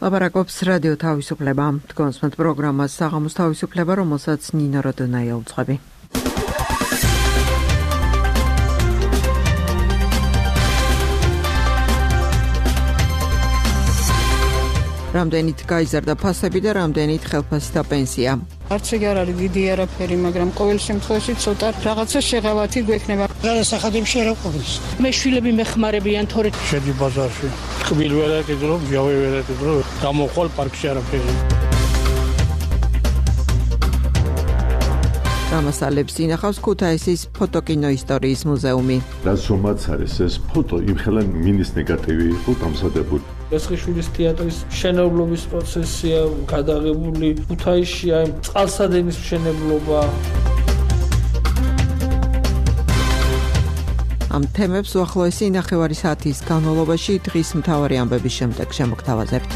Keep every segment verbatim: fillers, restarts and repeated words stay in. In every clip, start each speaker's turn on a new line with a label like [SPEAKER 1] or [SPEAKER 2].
[SPEAKER 1] ლაპარაკობს რადიო თავისუფლება. თქვენს პროგრამას საღამოს თავისუფლება, რომელსაც ნინო როდონაია უძღვები. რამდენით გაიზარდა ფასები და რამდენით ხელფასი და პენსია.
[SPEAKER 2] არც ეგ არ არის დიდი არაფერი, მაგრამ ყოველ შემთხვევაში ცოტა რაღაცა შეღავათი გვექნება.
[SPEAKER 3] რა სახადებში არ ყოფნის.
[SPEAKER 2] მე შვილები მეხმარებიან თორე
[SPEAKER 3] შედი ბაზარში. ტკბილ ვერ აკეთებ, ჯავე ვერ აკეთებ, გამოხვალ პარკში არაფერი.
[SPEAKER 1] გამოსალებს ინახავს ქუთაისის ფოტოკინო ისტორიის მუზეუმი.
[SPEAKER 4] რაც რომაც არის ეს ფოტო იმხელა მინის ნეგატივი იყო დამზადებული.
[SPEAKER 5] მესხიშვილის თეატრის მშენებლობის პროცესია გადაღებული ქუთაისში, აი წყალსადენის მშენებლობა.
[SPEAKER 1] ამ თემებს უახლოესი ნახევარი საათის განმავლობაში დღის მთავარი ამბების შემდეგ შემოგთავაზებთ.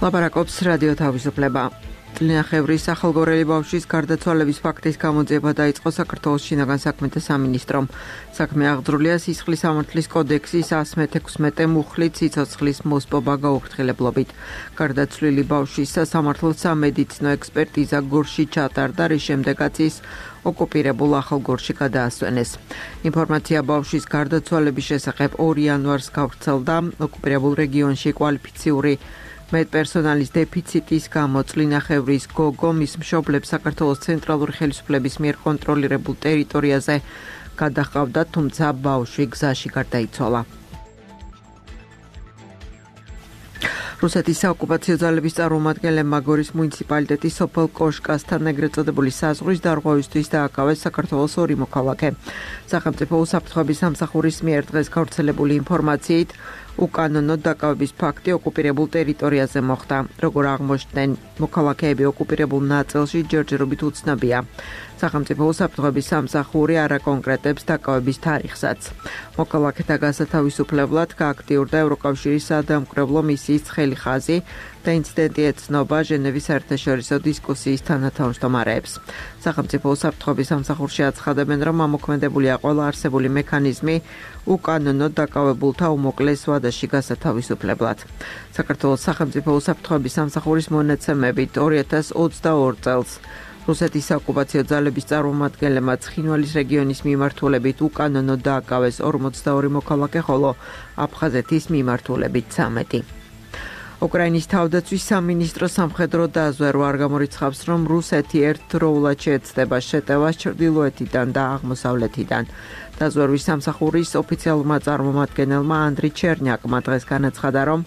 [SPEAKER 1] ლაპარაკობს რადიო თავისუფლება. წლინახევრის ახალგორელი ბავშვის გარდაცვალების ფაქტის გამოძიება დაიწყო საქართველოს შინაგან საქმეთა სამინისტრომ. საქმე აღძრულია სისხლის სამართლის კოდექსის ასმე თექვსმეტე მუხლით სიცოცხლის მოსპობა გაუფრთხილებლობით. გარდაცვლილი ბავშვის სასამართლო სამედიცინო ექსპერტიზა გორში ჩატარდა, რის შემდეგაც ის ოკუპირებულ ახალგორში გადაასვენეს. ინფორმაცია ბავშვის გარდაცვალების შესახებ ორი იანვარს გავრცელდა. ოკუპირებულ რეგიონში კვალიფიციური მედპერსონალის დეფიციტის გამო წლინახევრის გოგო მის მშობლებს საქართველოს ცენტრალური ხელისუფლების მიერ კონტროლირებულ ტერიტორიაზე გადაჰყავდა, თუმცა ბავშვი გზაში გარდაიცვალა. რუსეთის საოკუპაციო ძალების წარმომადგენლებმა გორის მუნიციპალიტეტის სოფელ კოშკასთან ეგრეთ წოდებული საზღვრის დარღვევისთვის დააკავეს საქართველოს ორი მოქალაქე. სახელმწიფო უსაფრთხოების სამსახურის მიერ დღეს გავრცელებული ინფორმაციით უკანონო დაკავების ფაქტი ოკუპირებულ ტერიტორიაზე მოხდა. როგორ აღმოჩნდნენ, მოქალაქეები ოკუპირებულ ნაწილში ჯერჯერობით უცნობია. სახელმწიფო უსაფრთხოების სამსახური არ აკონკრეტებს დაკავების თარიღსაც. მოქალაქეთა გასათავისუფლებლად გააქტიურდა ევროკავშირის სადამკვირვებლო მისიის ცხელი ხაზი და ინციდენტი ეცნობა ჟენევის საერთაშორისო დისკუსიის თანათავმჯდომარეებს. სახელმწიფო უსაფრთხოების სამსახურში აცხადებენ, რომ ამოქმედებულია ყველა არსებული მექანიზმი უკანონო დაკავებულთა უმოკლეს ვადაში გასათავისუფლებლად. საქართველოს სახელმწიფო უსაფრთხოების სამსახურის მონაცემებით ორი ათას ოცდაორ წელს რუსეთის საოკუპაციო ძალების წარმომადგენლებმა ცხინვალის რეგიონის მიმართულებით უკანონო დააკავეს ორმოცდაორი მოქალაქე, ხოლო აფხაზეთის მიმართულებით ცამეტი. უკრაინის თავდაცვის სამინისტრო სამხედრო დაზვერვა არ გამორიცხავს, რომ რუსეთი ერთდროულად შეეცდება შეტევას ჩრდილოეთიდან და აღმოსავლეთიდან. დაზვერვის სამსახურის ოფიციალურმა წარმომადგენელმა ანდრი ჩერნიაკმა დღეს განაცხადა, რომ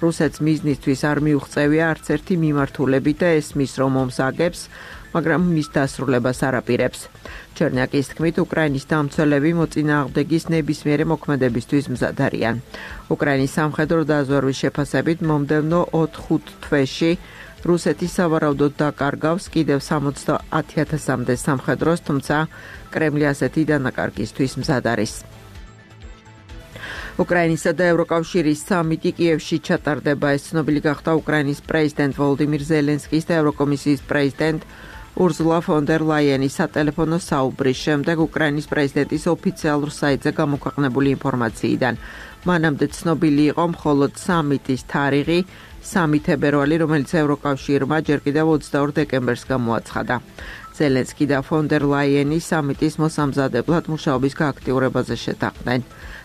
[SPEAKER 1] რუსეთს მიზნისთვის არ მიუღწევია არც ერთი მიმართულებით და ესმის, რომ ომს აგებს, მაგრამ მის დასრულებას არ აპირებს. ჩერნიაკის თქმით, უკრაინის დამცველები მოწინააღმდეგის ნებისმიერი მოქმედებისთვის მზად არიან. უკრაინის სამხედრო დაზვერვის შეფასებით მომდევნო ოთხ-ხუთ თვეში რუსეთი სავარაუდოდ დაკარგავს კიდევ სამოცდაათი ათასამდე სამხედროს, თუმცა კრემლი ასეთი დანაკარგისთვის მზად არის. უკრაინისა და ევროკავშირის სამიტი კიევში ჩატარდება. ეს ცნობილი გახდა უკრაინის პრეზიდენტ ვოლოდიმირ ზელენსკის და ევროკომისიის პრეზიდენტ ურზულა ფონ დერ ლაიენის სატელეფონო საუბრის შემდეგ უკრაინის პრეზიდენტის ოფიციალურ საიტზე გამოქვეყნებული ინფორმაციიდან. მანამდე ცნობილი იყო მხოლოდ სამიტის თარიღი სამი თებერვალი, რომელიც ევროკავშირმა ჯერ კიდევ ოცდაორ დეკემბერს გამოაცხადა. ზელენსკი და ფონ დერ ლაიენი სამიტის მოსამზადებლად მუშაობის გააქტიურებაზე შეთანხმდნენ.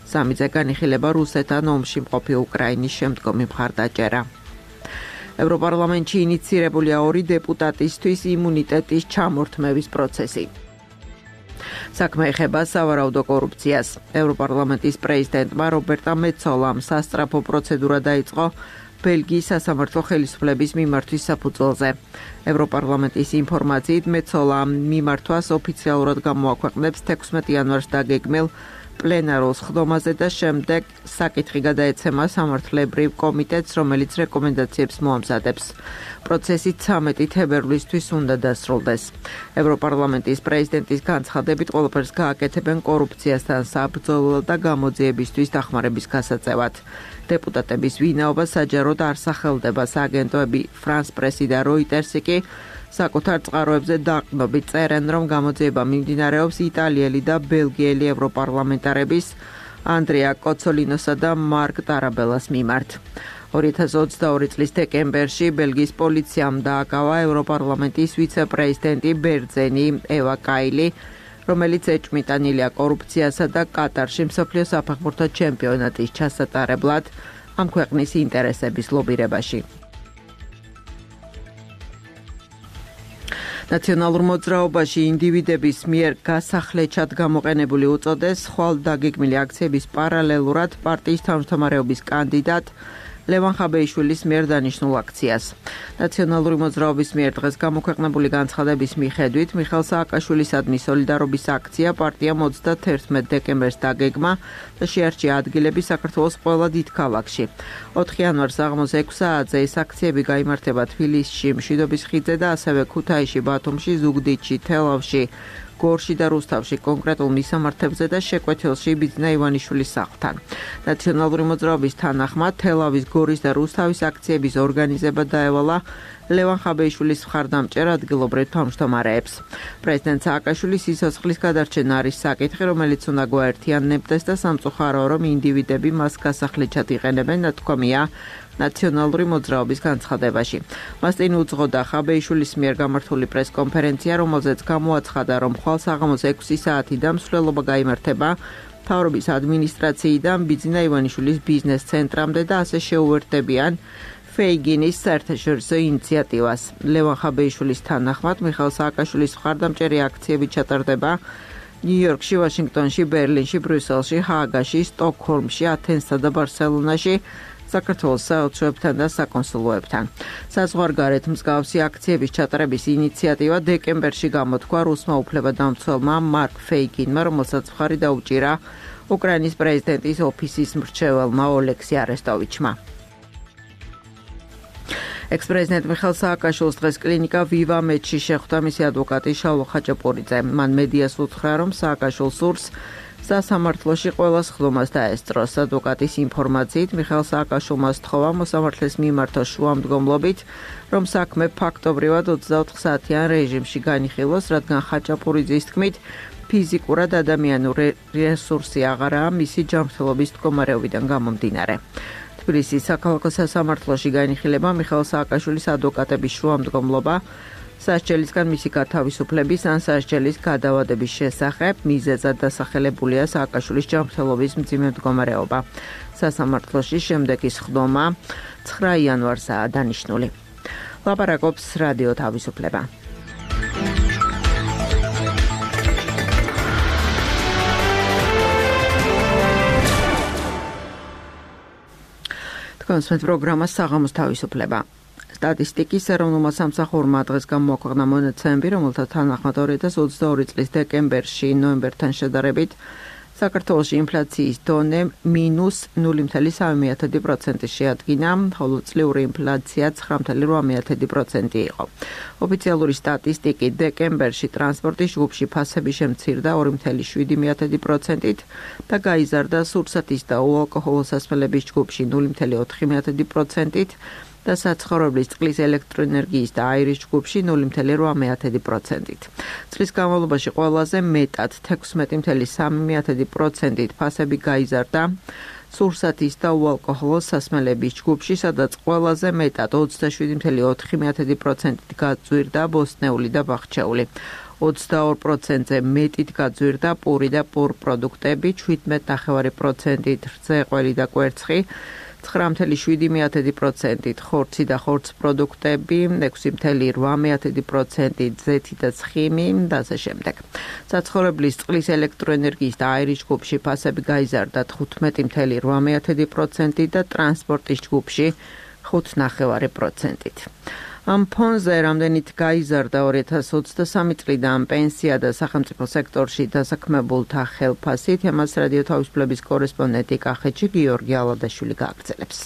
[SPEAKER 1] სამიტზე განიხილება რუსეთთან ომში მყოფი უკრაინის შემდგომი მხარდაჭერა. ევროპარლამენტში ინიცირებულია ორი დეპუტატისთვის იმუნიტეტის ჩამორთმევის პროცესი. საქმე ეხება სავარაუდო კორუფციას. ევროპარლამენტის პრეზიდენტმა რობერტა მეცოლამ სასწრაფო პროცედურა დაიწყო ბელგიის სასამართლო ხელისუფლების მიმართვის საფუძველზე. ევროპარლამენტის ინფორმაციით მეცოლამ მიმართვას ოფიციალურად გამოაქვეყნებს თექვსმეტი იანვარს დაგეგმილ პლენარულ სხდომაზე და შემდეგ საკითხი გადაეცემა სამართლებრივ კომიტეტს, რომელიც რეკომენდაციებს მოამზადებს. პროცესი ცამეტი თებერვლისთვის უნდა დასრულდეს. ევროპარლამენტის პრეზიდენტის განცხადებით ყველაფერს გააკეთებენ კორუფციასთან საბრძოლო და გამოძიებისთვის დახმარების გასაწევად. დეპუტატების ვინაობა საჯაროდ არ სახელდება. სააგენტოები ფრანს პრესი და როიტერსი კი საკუთარ წყაროებზე დაყრდნობით წერენ, რომ გამოძიება მიმდინარეობს იტალიელი და ბელგიელი ევროპარლამენტარების ანდრეა კოცოლინოსა და მარკ ტარაბელას მიმართ. ორი ათას ოცდაორი წლის დეკემბერში ბელგიის პოლიციამ დააკავა ევროპარლამენტის ვიცე-პრეზიდენტი ბერძენი ევა კაილი, რომელიც ეჭვმიტანილია კორუფციასა და კატარში მსოფლიო საფეხბურთო ჩემპიონატის ჩასატარებლად ამ ქვეყნის ინტერესების ლობირებაში. ნაციონალურ მოძრაობაში ინდივიდების მიერ გასახლეჩად გამოყენებული უწოდეს ხვალ დაგეგმილი აქციების პარალელურად პარტიის თავმჯდომარეობის კანდიდატ ლევან ხაბეიშვილის მიერ დანიშნულ აქციას. ნაციონალური მოძრაობის მიერ დღეს გამოქვეყნებული განცხადების მიხედვით მიხეილ სააკაშვილისადმი სოლიდარობის აქცია პარტიამ ოცდათერთმეტ დეკემბერს დაგეგმა და შეარჩია ადგილები საქართველოს ყველა დიდ ქალაქში. ოთხი იანვარს საღამოს ექვს საათზე ეს აქციები გაიმართება თბილისში, მშვიდობის ხიდზე და ასევე ქუთაისში, ბათუმში, ზუგდიდში, თელავში, გორში და რუსთავში კონკრეტულ მისამართებზე და შეკვეთილში ბიძინა ივანიშვილის სახლთან. ნაციონალური მოძრაობის თანახმად თელავის, გორის და რუსთავის აქციების ორგანიზება დაევალა ლევან ხაბეიშვილის მხარდამჭერ ადგილობრივ თავმჯდომარეებს. პრეზიდენტ სააკაშვილის სიცოცხლის გადარჩენა არის საკითხი, რომელიც უნდა გვაერთიანებდეს და სამწუხაროა, რომ ინდივიდები მას გასახლეჩად იყენებენ, ნათქვამია ნაციონალური მოძრაობის განცხადებაში. მას წინ უძღოდა ხაბეიშვილის მიერ გამართული პრესკონფერენცია, რომელზეც გამოაცხადა, რომ ხვალ საღამოს ექვსი საათიდან მსვლელობა გაიმართება მთავრობის ადმინისტრაციიდან ბიძინა ივანიშვილის ბიზნეს ცენტრამდე და ასე შეუერთდებიან ფეიგინის საერთაშორისო ინიციატივას. ლევან ხაბეიშვილის თანახმად მიხეილ სააკაშვილის მხარდამჭერი აქციები ჩატარდება ნიუ-იორკში, ვაშინგტონში, ბერლინში, ბრიუსელში, ჰააგაში, სტოკჰოლმში, ათენსსა და ბარსელონაში, საქართველოს საელჩოებთან და საკონსულოებთან. საზღვარგარეთ მსგავსი აქციების ჩატარების ინიციატივა დეკემბერში გამოთქვა რუსმა უფლებადამცველმა მარკ ფეიგინმა, რომელსაც მხარი დაუჭირა უკრაინის პრეზიდენტის ოფისის მრჩეველმა ოლექსი არესტოვიჩმა. ექს-პრეზიდენტ მიხეილ სააკაშვილს დღეს კლინიკა ვივა მედში შეხვდა მისი ადვოკატი შალვა ხაჭაპურიძე. მან მედიას უთხრა, რომ სააკაშვილს სურს სასამართლოში ყველა სხდომას დაესწროს. ადვოკატის ინფორმაციით მიხეილ სააკაშვილმა სთხოვა მოსამართლეს მიმართოს შუამდგომლობით, რომ საქმე ფაქტობრივად ოცდაოთხ საათიან რეჟიმში განიხილოს, რადგან ხაჭაპურიძის თქმით ფიზიკურად ადამიანური რესურსი აღარაა მისი ჯანმრთელობის მდგომარეობიდან გამომდინარე. თბილისის საქალაქო სასამართლოში განიხილება მიხეილ სააკაშვილის ადვოკატების შუამდგომლობა სასჯელისგან მისი გათავისუფლების ან სასჯელის გადავადების შესახებ მიზეზად დასახელებულია სააკაშვილის ჯანმრთელობის მძიმე მდგომარეობა. სასამართლოში შემდეგი სხდომა ცხრა იანვარსაა დანიშნული. ლაპარაკობს რადიო თავისუფლება. თქვენს პროგრამას საღამოს თავისუფლება. სტატისტიკის ეროვნულმა სამსახურმა დღეს გამოაქვეყნა მონაცემები, რომელთა თანახმად ორი ათას ოცდაორი წლის დეკემბერში ნოემბერთან შედარებით საქართველოში ინფლაციის დონე მინუს ნული მცდელო სამი პროცენტი შეადგინა, ხოლო წლიური ინფლაცია ცხრა მცდელო რვა პროცენტი იყო. ოფიციალური სტატისტიკით დეკემბერში ტრანსპორტის ჯგუფში ფასები შემცირდა ორი მცდელო შვიდი პროცენტით და გაიზარდა სურსათის და უალკოჰოლო სასმელების ჯგუფში ნული მცდელო ოთხი პროცენტით და საცხოვრებლის წყლის ელექტროენერგიის და აირის ჯგუფში ნული მცდელო რვა პროცენტით. წლის განმავლობაში ყველაზე მეტად თექვსმეტი მცდელო სამი პროცენტით ფასები გაიზარდა სურსათის და უალკოჰოლო სასმელების ჯგუფში, სადაც ყველაზე მეტად ოცდაშვიდი მცდელო ოთხი პროცენტით გაძვირდა ბოსტნეული და ბახჩეული. ოცდაორ პროცენტზე მეტით გაძვირდა პური და პურ პროდუქტები, შვიდმეტ ნახევარი პროცენტით რძეყველი და კვერცხი, ცხრა მცდელო შვიდი პროცენტით ხორცი და ხორც პროდუქტები, ექვსი მცდელო რვა პროცენტით ზეთი და ცხიმი და ასე შემდეგ. საცხოვრებლის წყლის ელექტროენერგიის და აირის ჯგუფში ფასები გაიზარდა თხუთმეტი მცდელო რვა პროცენტით და ტრანსპორტის ჯგუფში ხუთ ნახევარი პროცენტით. ამ ფონზე რამდენით გაიზარდა ორი ათას ოცდასამი წლიდან პენსია და სახელმწიფო სექტორში დასაქმებულთა ხელფასი, თემას რადიო თავისუფლების კორესპონდენტი კახეთში გიორგი ალადაშვილი გააგრძელებს.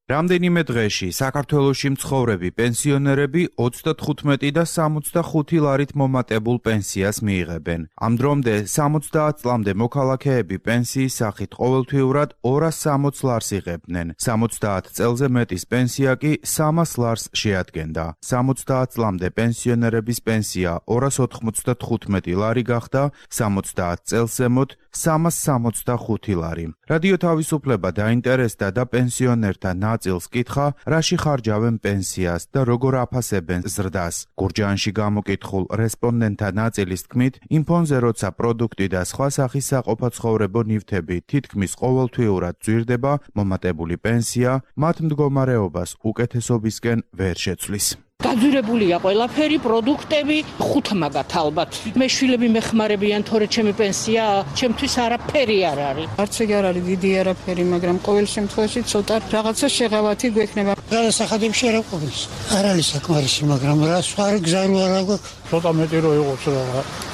[SPEAKER 6] რამდენიმე დღეში საქართველოში მცხოვრები პენსიონერები ოცდათხუთმეტი და სამოცდახუთი ლარით მომატებულ პენსიას მიიღებენ. ამ დრომდე სამოცდაათ წლამდე მოქალაქეები პენსიის სახით ყოველთვიურად ორას სამოც ლარს იღებდნენ. სამოცდაათ წელზე მეტის პენსია კი სამას ლარს შეადგენდა. სამოცდაათ წლამდე პენსიონერების პენსია ორას ოთხმოცდათხუთმეტი ლარი გახდა, სამოცდაათ წელს ზემოთ სამას სამოცდახუთი ლარი. რადიო თავისუფლება დაინტერესდა და პენსიონერთა ნაწილს კითხა, რაში ხარჯავენ პენსიას და როგორ აფასებენ ზრდას. გურჯაანში გამოკითხულ რესპონდენტთა ნაწილის თქმით, იმ ფონზე, როცა პროდუქტი და სხვა სახის საყოფაცხოვრებო ნივთები თითქმის ყოველთვიურად ძვირდება, მომატებული პენსია მათ მდგომარეობას უკეთესობისკენ ვერ შეცვლის.
[SPEAKER 2] გაძვირებულია ყველაფერი, პროდუქტები, ხუთ მაგათ ალბათ. მე შვილები მეხმარებიან, თორე ჩემი პენსია, ჩემთვის არაფერი არ არის. არც ეგ არ არის დიდი არაფერი, მაგრამ ყოველ შემთხვევაში ცოტა რაღაცა შეღავათი გვექნება.
[SPEAKER 7] გადასახადებში არ ყოფნის. არ არის საკმარისი, მაგრამ რა სხვა გზა არ აქვს.
[SPEAKER 3] ცოტა მეტი რო იყოს რა,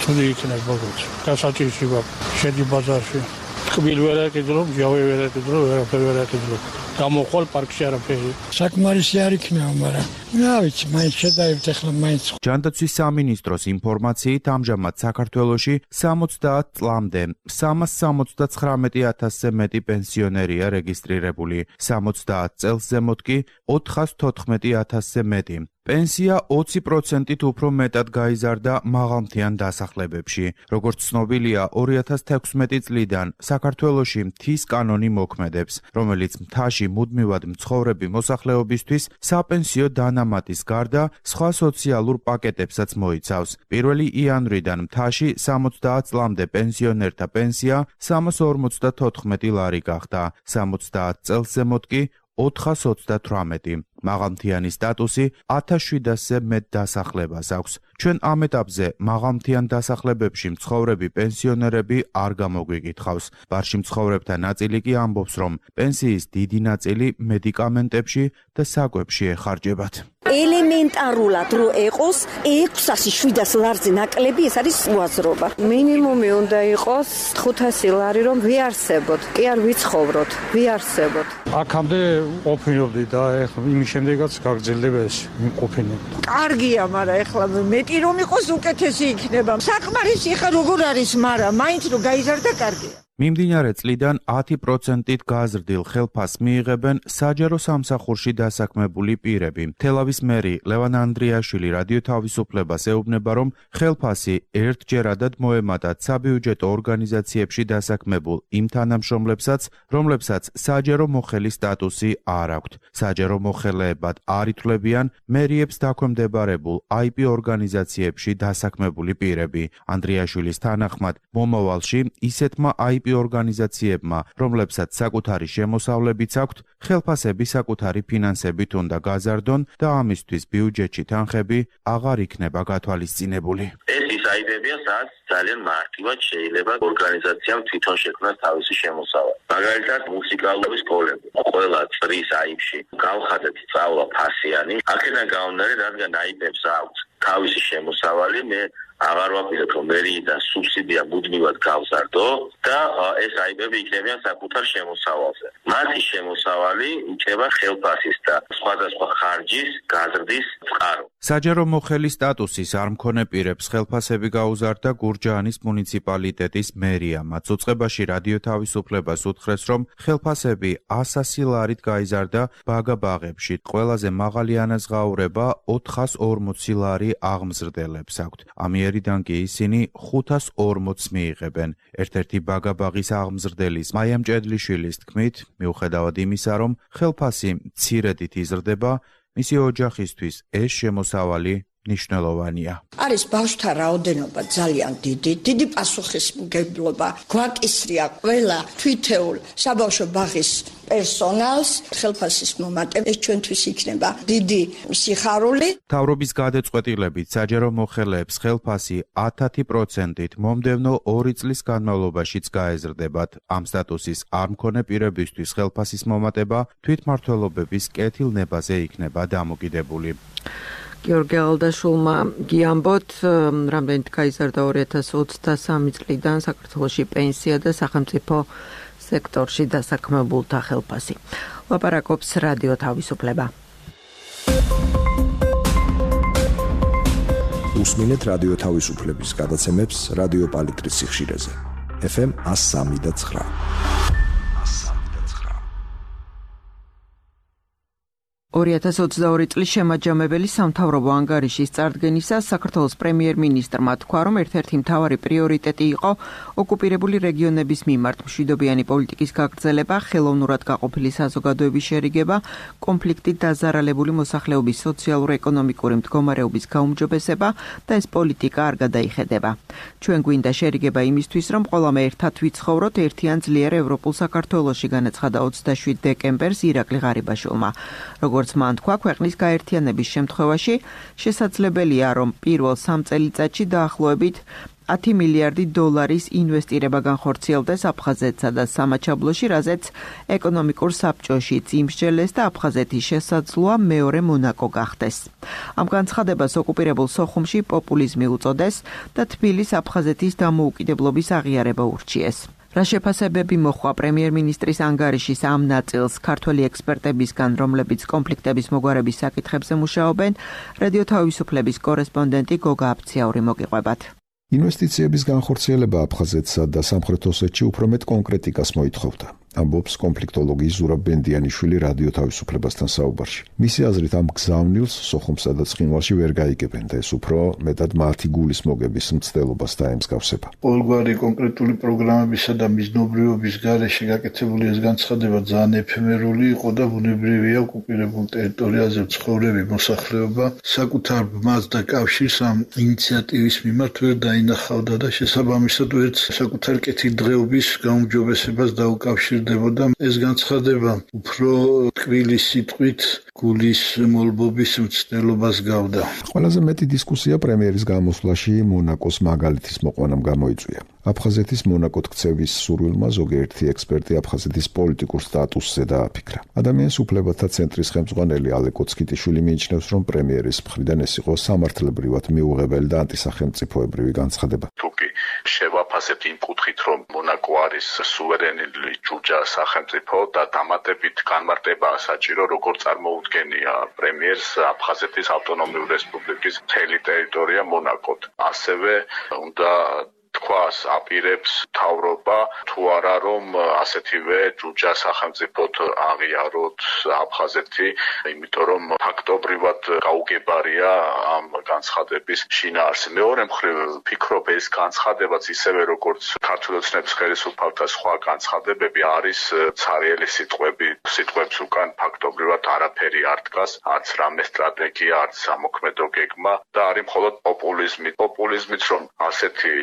[SPEAKER 3] თუნი იქნება როგორც. გასაჭირში გვაქვს, შედი ბაზარში. ტკბილ ვერ აკიდრო, ჯავე ვერ აკიდრო, ვერაფერი ვერ აკიდრო. გამოხვალ პარკში არაფერი.
[SPEAKER 7] საკმარისი არ იქნება, მაგრამ რა ვიცი, მაინც შედაივთ ახლა მაინც.
[SPEAKER 6] ჯანდაცვის სამინისტროს ინფორმაციით ამჟამად საქართველოში სამოცდაათ წლამდე სამას სამოცდაცხრამეტი ათასზე მეტი პენსიონერია რეგისტრირებული, სამოცდაათ წელს ზემოთ კი ოთხას თოთხმეტი ათასზე მეტი. პენსია ოცი პროცენტით უფრო მეტად გაიზარდა მაღალმთიან დასახლებებში. როგორც ცნობილია, ორი ათას თექვსმეტი წლიდან საქართველოში მთის კანონი მოქმედებს, რომელიც მთაში მუდმივად მცხოვრები მოსახლეობისთვის საპენსიო დანამატის გარდა სხვა სოციალურ პაკეტებსაც მოიცავს. პირველი იანვრიდან მთაში სამოცდაათ წლამდე პენსიონერთა პენსია სამას ორმოცდათოთხმეტი ლარი გახდა, სამოცდაათ წელს ზემოთ კი ოთხას ოცდათვრამეტი. მაღალმთიანი სტატუსი ათას შვიდასზე მეტ დასახლებას აქვს. ჩვენ ამ ეტაპზე მაღალმთიან დასახლებებში მცხოვრები პენსიონერები არ გამოგვიკითხავს. ბარში მცხოვრებთა ნაწილი კი ამბობს, რომ პენსიის დიდი ნაწილი მედიკამენტებში და საკვებში ეხარჯებათ.
[SPEAKER 8] ელემენტარულად რო ეყოს ექვსასი შვიდას ლარზე ნაკლები, ეს არის უაზრობა. მინიმუმი უნდა იყოს ხუთასი ლარი, რომ ვიარსებოთ, კი არ ვიცხოვროთ, ვიარსებოთ.
[SPEAKER 3] აქამდე ყოფილიობდი და ეხლა იმის შემდეგაც გაგრძელდება ეს ყოფილი.
[SPEAKER 9] კარგია, მაგრამ ეხლა მეტი რომ იყოს უკეთესი იქნება. საკმარისი ხა როგორ არის, მაგრამ მაინც რო გაიზარდა კარგია.
[SPEAKER 6] მიმდინარე წლიდან ათი პროცენტით გაზრდილ ხელფასს მიიღებენ საჯარო სამსახურში დასაქმებული პირები. თელავის მერი ლევან ანდრიაშვილი რადიო თავისუფლებას ეუბნება, რომ ხელფასი ერთჯერადად მოემატათ საბიუჯეტო ორგანიზაციებში დასაქმებულ იმ თანამშრომლებსაც, რომლებსაც საჯარო მოხელის სტატუსი არ აქვთ. საჯარო მოხელეებად არ ითვლებიან მერიებს დაქვემდებარებულ აი პი ორგანიზაციებში დასაქმებული პირები. ანდრიაშვილის თანახმად, მომავალში ისეთმა აი პი ორგანიზაციებმა, რომლებსაც საკუთარი შემოსავლებიც აქვთ, ხელფასები საკუთარი ფინანსებით უნდა გაზარდონ და ამისთვის ბიუჯეტში თანხები აღარ იქნება გათვალისწინებული.
[SPEAKER 10] ეს ის აიდებია, სადაც ძალიან მარტივად შეიძლება ორგანიზაციამ თვითონ შექმნას თავისი შემოსავალი. მაგალითად, მუსიკალური სკოლები. ყველა წრის აიბში გავხადეთ სწავლა ფასიანი. აქედან გამომდინარე, რადგან აიბებს აქვთ თავისი შემოსავალი, მე აღარ ვაპირებ, რომ მერიიდან სუბსიდია მუდმივად გავზარდო და ეს აიბები იქნებიან საკუთარ შემოსავალზე. მათი შემოსავალი იქნება ხელფასის და სხვადასხვა ხარჯის გაზრდის წყარო.
[SPEAKER 6] საჯარო მოხელის სტატუსის არ მქონე პირებს ხელფასები გაუზარდა გურჯაანის მუნიციპალიტეტის მერია. მათ უწყებაში რადიო თავისუფლებას უთხრეს, რომ ხელფასები ასასი ლარით გაიზარდა ბაგაბაღებში. ყველაზე მაღალი ანაზღაურება ოთხას ორმოცი ლარი აღმზრდელებს აქვთ. ამიერიდან კი ისინი ხუთას ორმოცს მიიღებენ. ერთ-ერთი ბაგაბაღის აღმზრდელის მაიამ ჭედლიშვილის თქმით, მიუხედავად იმისა, რომ ხელფასი მცირედით იზრდება, მისი ოჯახისთვის ეს შემოსავალი ნიშნულოვანია.
[SPEAKER 11] არის ბავშვთა რაოდენობა ძალიან დიდი, დიდი პასუხისმგებლობა გვაკისრია ყველა თვითეულ საბავშვო ბაღის პერსონალს, ხელფასის მომატება ეს ჩვენთვის იქნება დიდი სიხარული.
[SPEAKER 6] მთავრობის გადაწყვეტილებით საჯარო მოხელეებს ხელფასი ათი პროცენტით მომდევნო ორი წლის განმავლობაშიც გაეზრდებათ. ამ სტატუსის არ მქონე პირებისთვის ხელფასის მომატება თვითმმართველობების კეთილნებაზე იქნება დამოკიდებული.
[SPEAKER 1] გიორგი ალდაშულმა გიამბოთ, რამდენით გაიზარდა ორი ათას ოცდასამი წლიდან საქართველოში პენსია და სახელმწიფო სექტორში დასაქმებულთა ხელფასი. ლაპარაკობს რადიო თავისუფლება.
[SPEAKER 12] უსმინეთ რადიო თავისუფლების გადაცემებს რადიო პალიტრის სიხშირეზე. ეფ ემ one oh three point nine.
[SPEAKER 1] ორი ათას ოცდაორი წლის შემაჯამებელი სამთავრობო ანგარიშის წარდგენისას საქართველოს პრემიერ-მინისტრმა თქვა, რომ ერთ-ერთი მთავარი პრიორიტეტი იყო ოკუპირებული რეგიონების მიმართ მშვიდობიანი პოლიტიკის გაგრძელება, ხელოვნურად გაყოფილი საზოგადოების შერიგება, კონფლიქტით დაზარალებული მოსახლეობის სოციალურ-ეკონომიკური მდგომარეობის გაუმჯობესება და ეს პოლიტიკა არ გადაიხედება. ჩვენ გვინდა შერიგება იმისთვის, რომ ყველამ ერთად ვიცხოვროთ ერთიან ძლიერ ევროპულ საქართველოში, განაცხადა ოცდაშვიდ დეკემბერს ირაკლი ღარიბაშვილმა. როგორც მან თქვა, ქვეყნის გაერთიანების შემთხვევაში შესაძლებელია, რომ პირველ სამ წელიწადში დაახლოებით ათი მილიარდი დოლარის ინვესტირება განხორციელდეს აფხაზეთსა და სამაჩაბლოში, რაზეც ეკონომიკურ საბჭოშიც იმსჯელეს და აფხაზეთის შესაძლოა მეორე მონაკო გახდეს. ამ განცხადებას ოკუპირებულ სოხუმში პოპულიზმი უწოდეს და თბილის აფხაზეთის დამოუკიდებლობის აღიარება ურჩიეს. რა შეფასებები მოხდა პრემიერ-მინისტრის ანგარიშის ამ ნაწილს ქართველი ექსპერტებისგან, რომლებიც კონფლიქტების მოგვარების საკითხებზე მუშაობენ, რადიო თავისუფლების კორესპონდენტი გოგა აფციაური მოგიყვებათ.
[SPEAKER 12] ინვესტიციების განხორციელება აფხაზეთსა და სამხრეთ ოსეთში უფრო მეტ კონკრეტიკას მოითხოვდა. ამბობს კონფლიქტოლოგი ზურაბ ბენდიანიშვილი რადიო თავისუფლებასთან საუბარში. მისი აზრით, ამ გზავნილს სოხუმსა და ცხინვალში ვერ გაიგებენ და ეს უფრო მეტად მათი გულის მოგების მცდელობას დაემსგავსება.
[SPEAKER 3] ყოველგვარი კონკრეტული პროგრამებისა და მიზნობრიობის გარეშე გაკეთებული ეს განცხადება ძალიან ეფემერული იყო და ბუნებრივია ოკუპირებულ ტერიტორიაზე მცხოვრები მოსახლეობა საკუთარ ბმას და კავშირს ამ ინიციატივის მიმართ ვერ დაინახავდა და შესაბამისად ვერც საკუთარ კეთილდღეობის გაუმჯობესებას დაუკავშირდა. ეს განცხადება უფრო ტკბილი სიტყვით გულის მოლბობის მცდელობას გავდა.
[SPEAKER 12] ყველაზე მეტი დისკუსია პრემიერის გამოსვლაში მონაკოს მაგალითის მოყვანამ გამოიწვია. აფხაზეთის მონაკოდ ქცევის სურვილმა ზოგიერთი ექსპერტი აფხაზეთის პოლიტიკურ სტატუსზე დააფიქრა. ადამიანის უფლებათა ცენტრის ხელმძღვანელი ალე კოცკიტიშვილი მიიჩნევს, რომ პრემიერის მხრიდან ეს იყო სამართლებრივად მიუღებელი და ანტისახელმწიფოებრივი განცხადება.
[SPEAKER 13] თუკი შევაფასებთ იმ კუთხით, რომ მონაკო არის სუვერენული ჯუჯა სახელმწიფო და დამატებით განმარტებაა საჭირო, როგორ წარმოუდგენია პრემიერს აფხაზეთის ავტონომიური რესპუბლიკის მთელი ტერიტორია მონაკოდ. ასევე უნდა თქვას აპირებს თავრობა თუ არა რომ ასეთივე ჯუჯა სახელმწიფოდ აღიაროთ აფხაზეთი, იმიტომ რომ ფაქტობრივად გაუგებარია ამ განცხადების შინაარსი. მეორე მხრივ ფიქრობ, ეს განცხადებაც ისევე როგორც ქართული ოცნების ხელისუფალთა სხვა განცხადებები არის ცარიელი სიტყვები. სიტყვებს უკან ფაქტობრივად არაფერი არ დგას, არც რამე სტრატეგია, არც სამოქმედო გეგმა და არის მხოლოდ პოპულიზმი. პოპულიზმით რომ ასეთი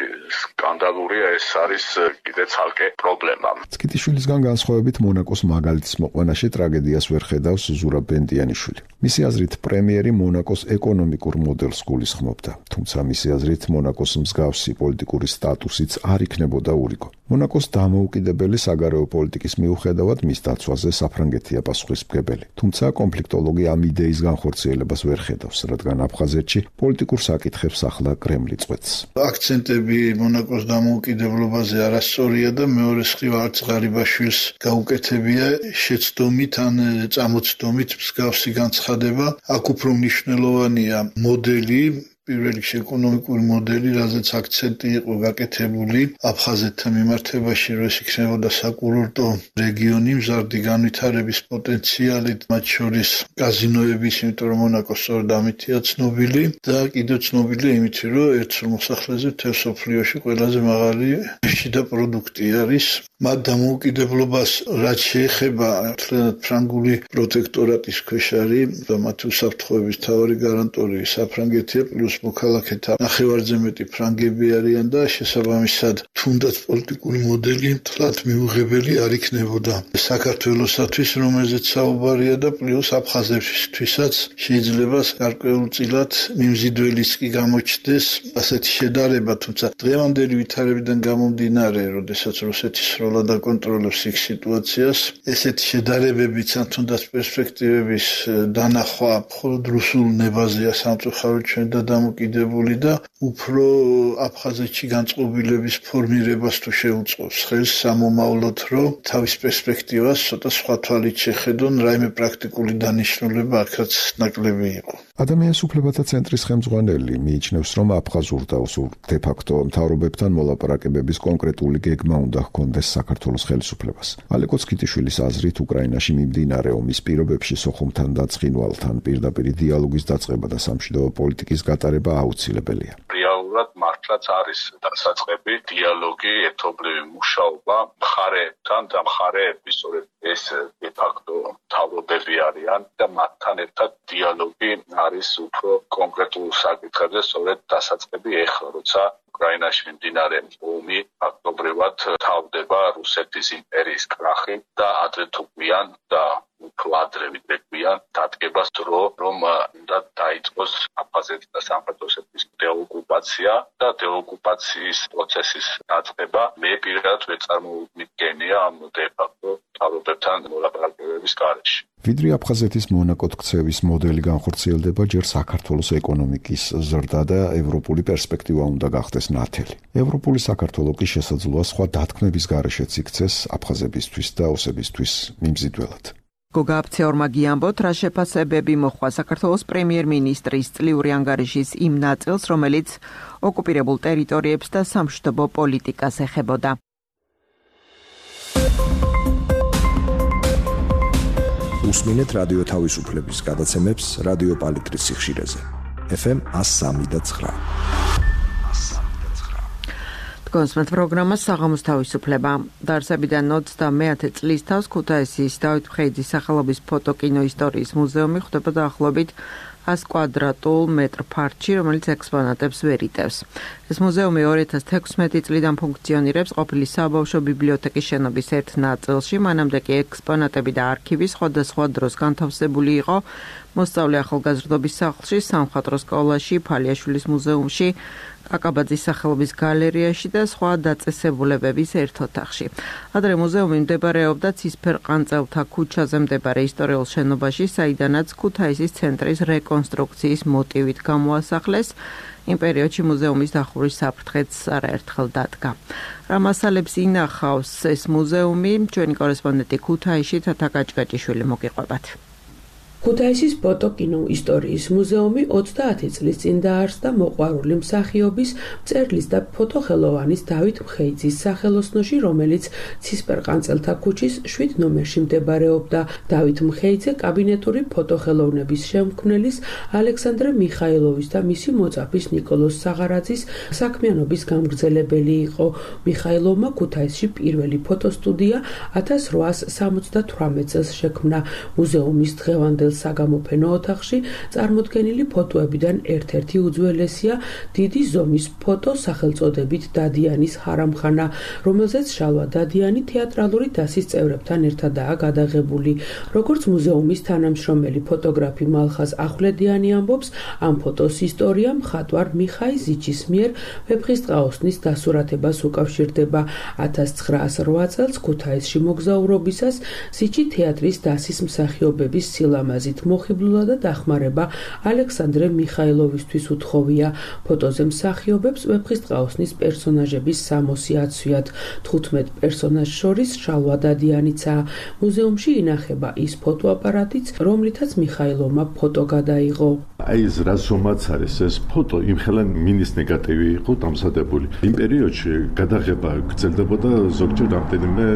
[SPEAKER 13] სკანდალურია, ეს არის კიდე ცალკე პრობლემა.
[SPEAKER 12] კიტიშვილისგან განსხვავებით მონაკოს მაგალითის მოყვანაში ტრაგედიას ვერ ხედავს ზურაბ ბენდიანიშვილი. მისი აზრით, პრემიერი მონაკოს ეკონომიკურ მოდელს გულისხმობდა, თუმცა მისი აზრით მონაკოს მსგავსი პოლიტიკური სტატუსიც არ იქნებოდა ურიგო. მონაკოს დამოუკიდებელი საგარეო პოლიტიკის მიუხედავად მის დაცვაზე საფრანგეთია პასუხისმგებელი. თუმცა კონფლიქტოლოგი ამ იდეის განხორციელებას ვერ ხედავს, რადგან აფხაზეთში პოლიტიკურ საკითხებს ახლა კრემლი წყვეტს.
[SPEAKER 3] აქცენტები მონაკოს დამოუკიდებლობაზე არასწორია და მეორე მხრივ არც ღარიბაშვილს გაუკეთებია შეცდომით ან წამოცდომით მსგავსი განცხადება. აქ უფრო მნიშვნელოვანია მოდელი, პირველ რიგში ეკონომიკური მოდელი, რაზეც აქცენტი იყო გაკეთებული აფხაზეთთან მიმართებაში, რომ ეს იქნებოდა საკურორტო რეგიონი მზარდი განვითარების პოტენციალით, მათ შორის კაზინოების, იმიტომ რომ მონაკო სწორედ ამითია ცნობილი და კიდევ ცნობილია იმით, რომ ერთ მოსახლეზე მთელ მსოფლიოში ყველაზე მაღალი შიდა პროდუქტი არის. მათ დამოუკიდებლობას რაც შეეხება ფრანგული პროტექტორატის ქვეშ არის და მათი უსაფრთხოების მთავარი გარანტორი საფრანგეთია, პლუს მოქალაქეთა ნახევარზე მეტი ფრანგები არიან და შესაბამისად თუნდაც პოლიტიკური მოდელი თლად მიუღებელი არ იქნებოდა საქართველოსათვის, რომელზეც საუბარია და პლუს აფხაზეთისთვისაც შეიძლება გარკვეულწილად მიმზიდველიც კი გამოჩნდეს ასეთი შედარება, თუმცა დღევანდელი ვითარებიდან გამომდინარე, როდესაც რუსეთის სროლა kontrola და კონტროლებს იქ სიტუაციას. ესეთი შედარებებიც ან თუნდაც პერსპექტივების დანახვა მხოლოდ რუსულ ნებაზეა სამწუხაროდ ჩვენ და დამოკიდებული და უფრო აფხაზეთში განწყობილების ფორმირებას თუ შეუწყობს ხელს სამომავლოდ, რომ თავის პერსპექტივას ცოტა სხვა თვალით შეხედონ, რაიმე პრაქტიკული დანიშნულება აქაც ნაკლები იყო.
[SPEAKER 12] ადამიანის უფლებათა ცენტრის ხელმძღვანელი მიიჩნევს, რომ აფხაზურ და ოსურ დე-ფაქტო მთავრობებთან მოლაპარაკებების კონკრეტული გეგმა უნდა ჰქონდეს საქართველოს ხელისუფლებას. ალეკო ცქიტიშვილის აზრით, უკრაინაში მიმდინარე ომის პირობებში სოხუმთან და ცხინვალთან პირდაპირი დიალოგის დაწყება და სამშვიდობო პოლიტიკის გატარება აუცილებელია.
[SPEAKER 13] რეალურად მართლაც არის დასაწყები დიალოგი, ერთობლივი მუშაობა მხარეებთან და მხარეები სწორედ ეს დე-ფაქტო მთავრობები არიან და მათთან ერთად დიალოგი არის უფრო კონკრეტულ საკითხებზე სწორედ დასაწყები ეხლა, როცა უკრაინაში მიმდინარე ომი ფაქტობრივად თავდება რუსეთის იმპერიის კრახი და ადრე თუ გვიან და უფრო ადრე ვიდრე გვიან დადგება დრო, რომ უნდა დაიწყოს აფხაზეთის და სამხრეთ ოსეთის დეოკუპაცია და დეოკუპაციის პროცესის დაწყება. მე პირადად ვერ წარმოვიდგენია ამ დე-ფაქტო მთავრობებთან მოლაპარაკებების გარეშე.
[SPEAKER 12] ვიდრე აფხაზეთის მონაკოდ ქცევის მოდელი განხორციელდება, ჯერ საქართველოს ეკონომიკის ზრდა და ევროპული პერსპექტივა უნდა გახდეს ნათელი. ევროპული საქართველო კი შესაძლოა სხვა დათქმების გარეშეც იქცეს აფხაზებისთვის და ოსებისთვის მიმზიდველად.
[SPEAKER 1] გოგა აფცეორმა გიამბოთ, რა შეფასებები მოხდა საქართველოს პრემიერ-მინისტრის წლიური ანგარიშის იმ ნაწილს, რომელიც ოკუპირებულ ტერიტორიებს და სამშვიდობო პოლიტიკას ეხებოდა.
[SPEAKER 14] უსმინეთ რადიო თავისუფლების გადაცემებს რადიო პალიტრის სიხშირეზე. ეფ ემ one oh three point nine.
[SPEAKER 1] კონსმეთ პროგრამა საღამოს თავისუფლება. დაარსებიდან ოცდამეათე წლის თავს ქუთაისის დავით მხეიძის სახელობის ფოტოკინო ისტორიის მუზეუმი ხვდება დაახლოებით one კვადრატულ მეტრ ფართში, რომელიც ექსპონატებს ვერ იტევს. ეს მუზეუმი ორი ათას თექვსმეტი წლიდან ფუნქციონირებს ყოფილი საბავშვო ბიბლიოთეკის შენობის ერთ ნაწილში, მანამდე კი ექსპონატები და არქივი სხვადასხვა დროს განთავსებული იყო მოსწავლე ახალგაზრდობის სახლში, სამხატვრო სკოლაში, ფალიაშვილის მუზეუმში, კაკაბაძის სახელობის გალერეაში და სხვა დაწესებულებების ერთ ოთახში. ადრე მუზეუმი მდებარეობდა ცისფერყანწელთა ქუჩაზე მდებარე ისტორიულ შენობაში, საიდანაც ქუთაისის ცენტრის რეკონსტრუქციის მოტივით გამოასახლეს. იმ პერიოდში მუზეუმის დახურის საფრთხეც არაერთხელ დადგა. რა მასალებს ინახავს ეს მუზეუმი, ჩვენი კორესპონდენტი ქუთაისში თათა კაჭკაჭიშვილი მოგიყვებათ.
[SPEAKER 15] ქუთაისის ფოტოკინო ისტორიის მუზეუმი ოცდაათი წლის წინ დაარსდა მოყვარული მსახიობის, მწერლის და ფოტოხელოვანის დავით მხეიძის სახელოსნოში, რომელიც ცისფერყანწელთა ქუჩის შვიდ ნომერში მდებარეობდა. დავით მხეიძე კაბინეტური ფოტოხელოვნების შემქმნელის ალექსანდრე მიხაილოვის და მისი მოწაფის ნიკოლოზ საღარაძის საქმიანობის გამგრძელებელი იყო. მიხაილოვმა ქუთაისში პირველი ფოტოსტუდია ათას რვაას სამოცდათვრამეტ წელს შექმნა. მუზეუმის დღევანდელ საგამოფენო ოთახში წარმოდგენილი ფოტოებიდან ერთ-ერთი უძველესია დიდი ზომის ფოტო სახელწოდებით დადიანის ჰარამხანა, რომელზეც შალვა დადიანი თეატრალური დასის წევრებთან ერთადაა გადაღებული. როგორც მუზეუმის თანამშრომელი ფოტოგრაფი მალხაზ ახვლედიანი ამბობს, ამ ფოტოს ისტორია მხატვარ მიხაი ზიჩის მიერ ვეფხისტყაოსნის დასურათებას უკავშირდება. ათას ცხრაას რვა წელს ქუთაისში მოგზაურობისას ზიჩი თეატრის დასის მსახიობების სილამაზით მოხიბლულა და დახმარება ალექსანდრე მიხაილოვისთვის უთხოვია. ფოტოზე მსახიობებს ვეფხისტყაოსნის პერსონაჟების სამოსი აცვიათ. თხუთმეტ პერსონაჟს შორის შალვა დადიანიცაა. მუზეუმში ინახება ის ფოტოაპარატიც, რომლითაც მიხაილოვმა ფოტო გადაიღო.
[SPEAKER 4] აი ეს რა ზომაც არის ეს ფოტო, იმხელა მინის ნეგატივი იყო დამზადებული. იმ პერიოდში გადაღება გრძელდებოდა ზოგჯერ რამდენიმე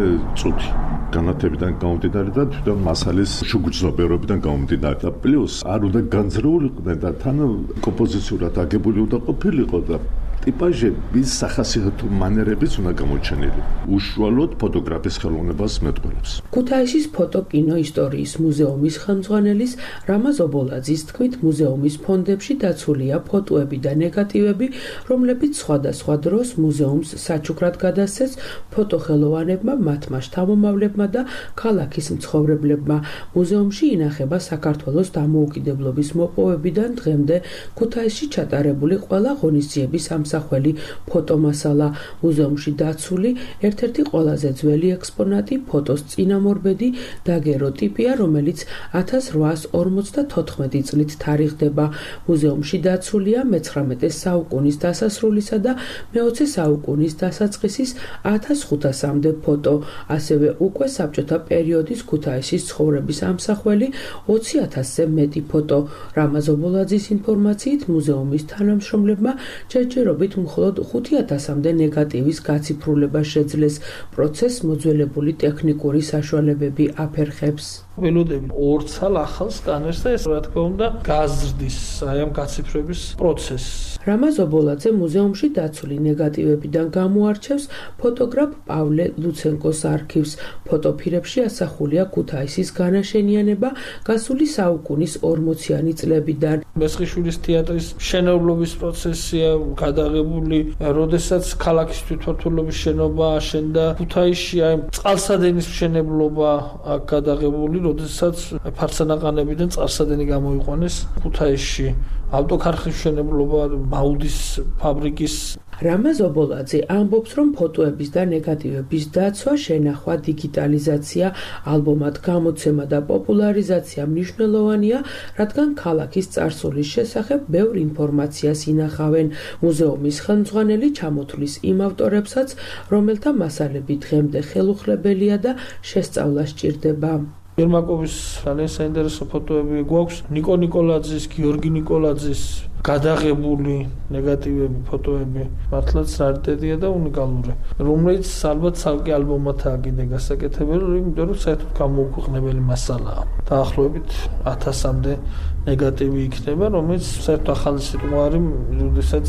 [SPEAKER 4] წუთი. განათებიდან გამომდინარე და თვითონ მასალის შუგრძნობერობიდან გამომდინარე და პლუს არ უნდა განზრეულიყვნენ და თან კომპოზიციურად აგებული უნდა ყოფილიყო და ტიპაჟების სახასიათო მანერებიც უნდა გამოჩენილი. უშუალოდ ფოტოგრაფის ხელოვნებას მეტყველებს.
[SPEAKER 15] ქუთაისის ფოტოკინო ისტორიის მუზეუმის ხელმძღვანელის რამაზ ობოლაძის თქმით, მუზეუმის ფონდებში დაცულია ფოტოები და ნეგატივები, რომლებიც სხვადასხვა დროს მუზეუმს საჩუქრად გადასცეს ფოტოხელოვანებმა, მათმა შთამომავლებმა და ქალაქის მცხოვრებლებმა. მუზეუმში ინახება საქართველოს დამოუკიდებლობის მოპოვებიდან დღემდე ქუთაისში ჩატარებული ყველა ღონისძიების ამსახველი ამსახველი ფოტომასალა. მუზეუმში დაცული ერთ-ერთი ყველაზე ძველი ექსპონატი ფოტოს წინამორბედი დაგეროტიპია, რომელიც ათას რვაასი ორმოცდათოთხმეტი წლით თარიღდება. მუზეუმში დაცულია მეცხრამეტე საუკუნის დასასრულისა და მეოცე საუკუნის დასაწყისის ათას ხუთასამდე ფოტო, ასევე უკვე საბჭოთა პერიოდის ქუთაისის ცხოვრების ამსახველი ოცი ათასზე მეტი ფოტო. რამაზ ობოლაძის ინფორმაციით, მუზეუმის თანამშრომლებმა ჯერჯერობით მხოლოდ ხუთი ათასამდე ნეგატივის გაციფრულება შეძლეს. პროცესს მოძველებული ტექნიკური საშუალებები აფერხებს.
[SPEAKER 5] ველოდები ორ ცალ ახალ სკანერს და ეს რა თქმა უნდა გაზრდის აი ამ გაციფრების პროცესს.
[SPEAKER 15] რამაზ ობოლაძე მუზეუმში დაცული ნეგატივებიდან გამოარჩევს ფოტოგრაფ პავლე ლუცენკოს არქივს. ფოტოფირებში ასახულია ქუთაისის განაშენიანება გასული საუკუნის ორმოციანი წლებიდან.
[SPEAKER 5] მესხიშვილის თეატრის მშენებლობის პროცესია გადაღებული, როდესაც ქალაქის თვითმმართველობის შენობა აშენდა ქუთაისში, აი წყალსადენის მშენებლობა აქ გადაღებული, როდესაც ფარსანაყანებიდან წყალსადენი გამოიყვანეს ქუთაისში. ავტოქარხნის მშენებლობა, მაუდის ფაბრიკის.
[SPEAKER 15] რამაზ ობოლაძე ამბობს, რომ ფოტოების და ნეგატივების დაცვა, შენახვა, დიგიტალიზაცია, ალბომად გამოცემა და პოპულარიზაცია მნიშვნელოვანია, რადგან ქალაქის წარსულის შესახებ ბევრ ინფორმაციას ინახავენ. მუზეუმის ხელმძღვანელი ჩამოთვლის იმ ავტორებსაც, რომელთა მასალები დღემდე ხელუხლებელია და შესწავლა სჭირდება.
[SPEAKER 5] ერმაკოვის ძალიან საინტერესო ფოტოები გვაქვს, ნიკო ნიკოლაძის, გიორგი ნიკოლაძის გადაღებული ნეგატივები, ფოტოები, მართლაც რარიტეტია და უნიკალური, რომელიც ალბათ ცალკე ალბომათაა კიდე გასაკეთებელი, იმიტომ რომ საერთოდ გამოუქვეყნებელი მასალაა. დაახლოებით ათასამდე ნეგატივი იქნება, რომელიც საერთოდ ახალი სიტყვარი, როდესაც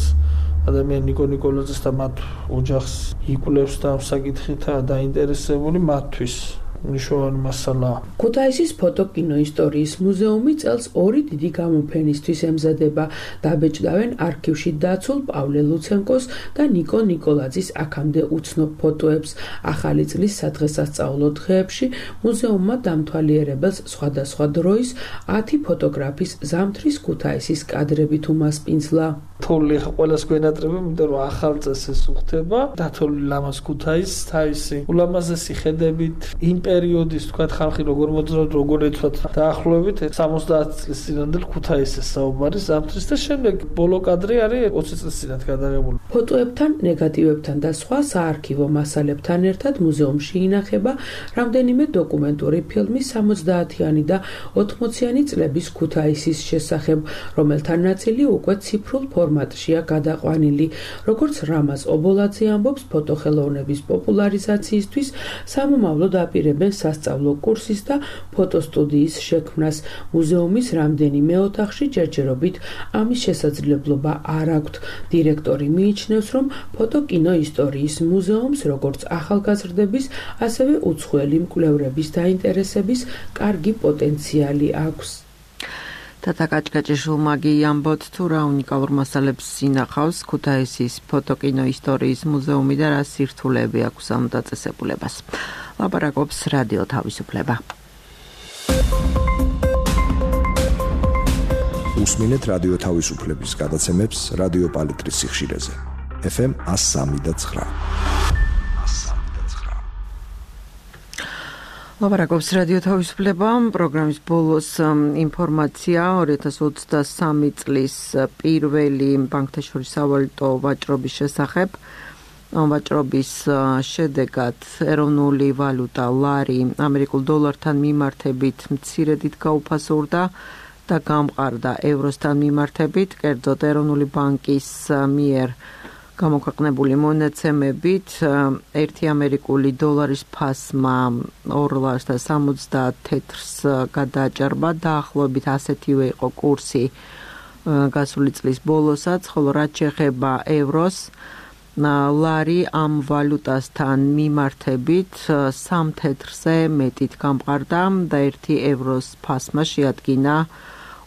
[SPEAKER 5] ადამიანი ნიკო ნიკოლაძეს და მათ ოჯახს იკვლევს და ამ საკითხითაა დაინტერესებული, მათთვის ნიშნავენ მასალა.
[SPEAKER 15] ქუთაისის ფოტოკინოისტორიის მუზეუმი წელს ორი დიდი გამოფენისთვის ემზადება. დაბეჭდავენ არქივში დაცულ პავლე ლუცენკოს და ნიკო ნიკოლაძის აქამდე უცნობ ფოტოებს. ახალი წლის სადღესასწაულო დღეებში მუზეუმმა დამთვალიერებელს სხვადასხვა დროის ათი ფოტოგრაფის ზამთრის ქუთაისის კადრებით უმასპინძლა.
[SPEAKER 5] თოვლი ყველას გვენატრებენ, იმიტომ რომ ახალ წესს უხდება. დათოლი ლამაზ ქუთაისს თავისი ულამაზესი ხედებით იმ პერიოდის თქვა ხალხი როგორ მოძრაობ, როგორ ეცვათ დაახლოებით სამოცდაათი წლის წინანდელ ქუთაისის საუბარი ზამთრის და შემდეგ ბოლო კადრი არის ოცი წლის წინათ გადაღებული.
[SPEAKER 15] ფოტოებთან, ნეგატივებთან და სხვა საარქივო მასალებთან ერთად მუზეუმში ინახება რამდენიმე დოკუმენტური ფილმი სამოცდაათიანი და ოთხმოციანი წლების ქუთაისის შესახებ, რომელთა ნაწილი უკვე ციფრულ ფორმატშია გადაყვანილი. როგორც რამაზ ობოლაძე ამბობს, ფოტოხელოვნების პოპულარიზაციისთვის სამომავლოდ აპირებენ სასწავლო კურსის და ფოტოსტუდიის შექმნას. მუზეუმის რამდენიმე ოთახში ჯერჯერობით ამის შესაძლებლობა არ აქვთ. დირექტორი მიიჩნევს, რომ ფოტოკინოისტორიის მუზეუმს როგორც ახალგაზრდების, ასევე უცხოელი მკვლევრების დაინტერესების კარგი პოტენციალი აქვს.
[SPEAKER 1] თათა კაჭკაჭიშვილმაგი ამბობთ, თუ რა უნიკალურ მასალებს ინახავს ქუთაისის ფოტოკინოისტორიის მუზეუმი და რა სირთულეები აქვს ამ დაწესებულებას. ლაპარაკობს რადიო თავისუფლება.
[SPEAKER 14] უსმინეთ რადიო თავისუფლების გადაცემებს რადიო პალიტრის სიხშირეზე. ეფ ემ ათს სამი და ცხრა.
[SPEAKER 1] ლაპარაკობს რადიო თავისუფლება. პროგრამის ბოლოს ინფორმაცია ორი ათას ოცდასამი წლის პირველი ბანკთა შორის სავალუტო ვაჭრობის შესახებ. ვაჭრობის შედეგად ეროვნული ვალუტა ლარი ამერიკულ დოლართან მიმართებით მცირედით გაუფასურდა და გამყარდა ევროსთან მიმართებით. კერძოდ ეროვნული ბანკის მიერ გამოქვეყნებული მონაცემებით ერთი ამერიკული დოლარის ფასმა ორ ლარს და სამოცდაათ თეთრს გადააჭარბა. დაახლოებით ასეთივე იყო კურსი გასული წლის ბოლოსაც, ხოლო რაც შეეხება ევროს, ლარი ამ ვალუტასთან მიმართებით სამ თეთრზე მეტით გამყარდა და ერთი ევროს ფასმა შეადგინა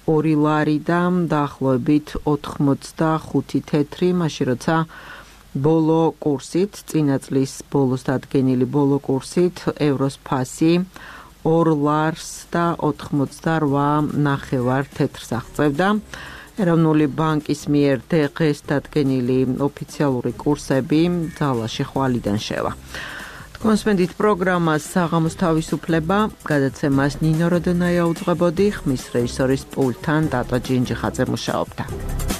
[SPEAKER 1] ორი ლარი და დაახლოებით ოთხმოცდახუთი თეთრი, მაშინ როცა ბოლო კურსით, წინა წლის ბოლოს დადგენილი ბოლო კურსით ევროს ფასი ორ ლარს და ოთხმოცდარვა ნახევარ თეთრს აღწევდა. ეროვნული ბანკის მიერ დღეს დადგენილი ოფიციალური კურსები ძალაში ხვალიდან შევა. კონსპენდით პროგრამას საღამოს თავისუფლება გადაცემას ნინო როდონაია უძღვებოდი, ხმის რეჟისორის პულტთან დატო ჯინჯიხაძე მუშაობდა.